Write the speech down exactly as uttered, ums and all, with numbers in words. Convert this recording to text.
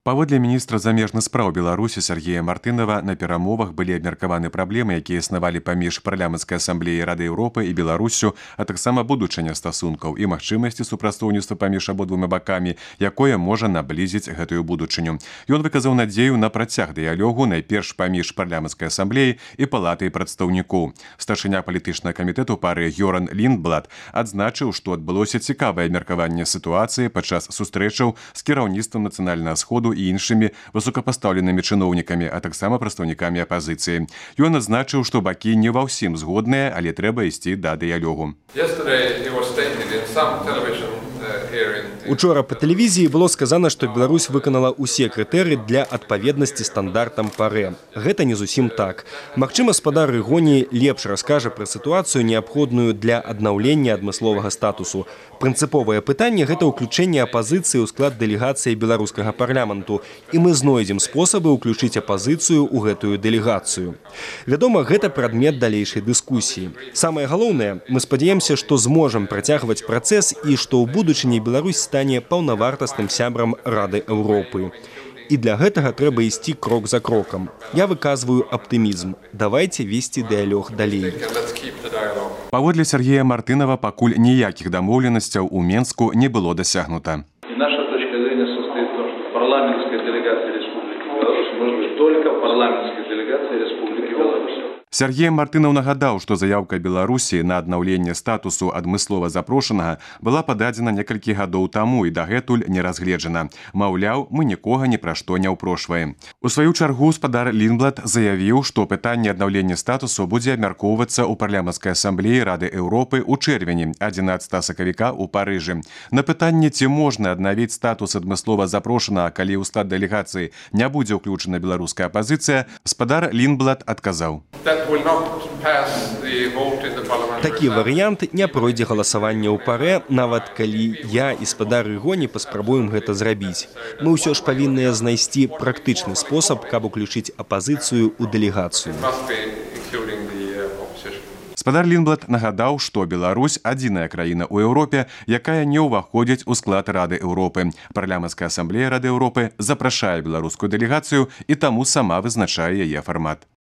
Паводле міністра замежных спраў Беларусі Сергея Мартынова на перамовах былі абмеркаваны праблемы, якія існавалі паміж парламенцкай асамблеяй Рады Еўропы і Беларуссю, а таксама будучыня стасункаў і магчымасці супрацоўніцтва паміж абодвума бакамі, якое можа наблізіць гэтую будучыню. Ён выказаў надзею на працяг дыялогу найперш паміж парламенцкай асамблеяй і палатай прадстаўнікоў. Старшыня палітычнага камітэту пары Йоран Ліндблат адзначыў, што адбылося цікавае абмеркаванне сітуацыі падчас сустрэчаў з кіраўніцтвам нацыянальнага сходу і іншымі высокапастаўленымі чыноўнікамі, а таксама прадстаўнікамі апазіцыі. Ён адзначыў, што бакі не ва ўсім згодныя, але трэба ісці да дыялогу. Учора па тэлевізіі было сказана, што Беларусь выканала ўсе крытэрыі для адпаведнасці стандартам ПАРЭ. Гэта не зусім так. Магчыма, спадар Рыгоні лепш раскажа пра сітуацыю, неабходную для аднаўлення адмысловага статусу. Прынцыповае пытанне – гэта ўключэнне апазіцыі ў склад дэлегацыі беларускага парламенту, і мы знойдзем спосабы ўключыць апазіцыю ў гэтую дэлегацыю. Вядома, гэта прадмет далейшай дыскусіі. Самае галоўнае, мы спадзяемся, што зможам працягваць працэс і што ў будучыні Беларусь стане паўнавартасным сябрам Рады Еўропы. І для гэтага трэба ісці крок за крокам. Я выказваю аптымізм. Давайце весці дыялог далей. Паводле Сергея Мартынова, пакуль ніякіх дамоўленасцяў у Менску не было дасягнута. Наша точка зрения состоит в том, что парламентская делегация Республики Беларусь может быть только парламентской делегацией Республики Беларусь. Сергей Мартынов нагадаў, што заяўка Беларусі на аднаўленне статусу адмыслова запрошанага была пададзена некалькі гадоў таму і дагэтуль не разгледжана. Маўляў, мы нікога ні пра што не ўпрошваем. У сваю чаргу спадар Ліндблат заявіў, што пытанне аднаўлення статусу будзе абмяркоўвацца ў парламенцкай асамблеі Рады Еўропы ў чэрвені адзінаццатага сакавіка ў Парыжы. На пытанне, ці можна аднавіць статус адмыслова запрошанага, калі ў склад дэлегацыі не будзе ўключана беларуская апазіцыя, спадар Ліндблат адказаў. Такі варыянт не пройдзе галасаванне ў ПАРЭ, нават калі я і спадар Рыгоні паспрабуем гэта зрабіць. Мы ўсё ж павінныя знайсці практычны спосаб, каб уключыць апазіцыю ў дэлегацыю. Спадар Ліндблат нагадаў, што Беларусь – адзіная краіна ў Еўропе, якая не ўваходзіць у склад Рады Еўропы. Парламенцкая асамблея Рады Еўропы запрашае беларускую дэлегацыю і таму сама вызначае яе фармат.